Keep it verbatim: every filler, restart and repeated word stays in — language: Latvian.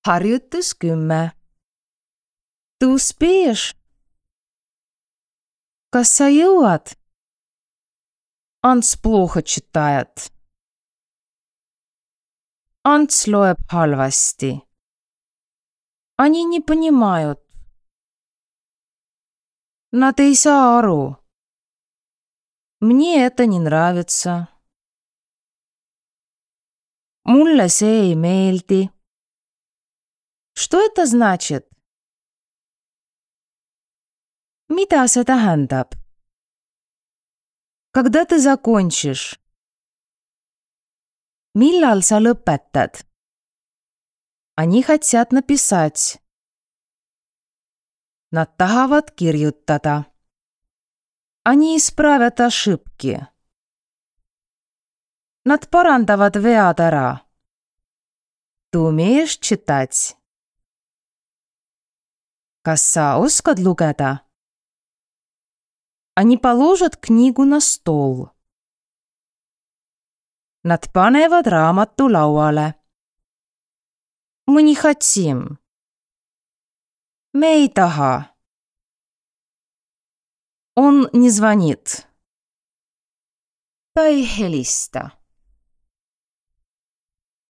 Harjutus kümme. Ты успеешь? Kas sa jõuad? Ants плохо читает. Ants loeb halvasti. Они не понимают. Nad ei saa aru. Мне это не нравится. Mulle see ei meeldi. Что это значит? Mida see tähendab? Когда ты закончишь? Millal sa lõpetad? Они хотят написать. Nad tahavad kirjutada. Они исправят ошибки. Nad parandavad vead ära. Ты умеешь читать? Kas sa oskad lugeda? Они положат книгу на стол. Nad panevad raamatu lauale. Мы не хотим. Me ei taha. Он не звонит. Ta ei helista.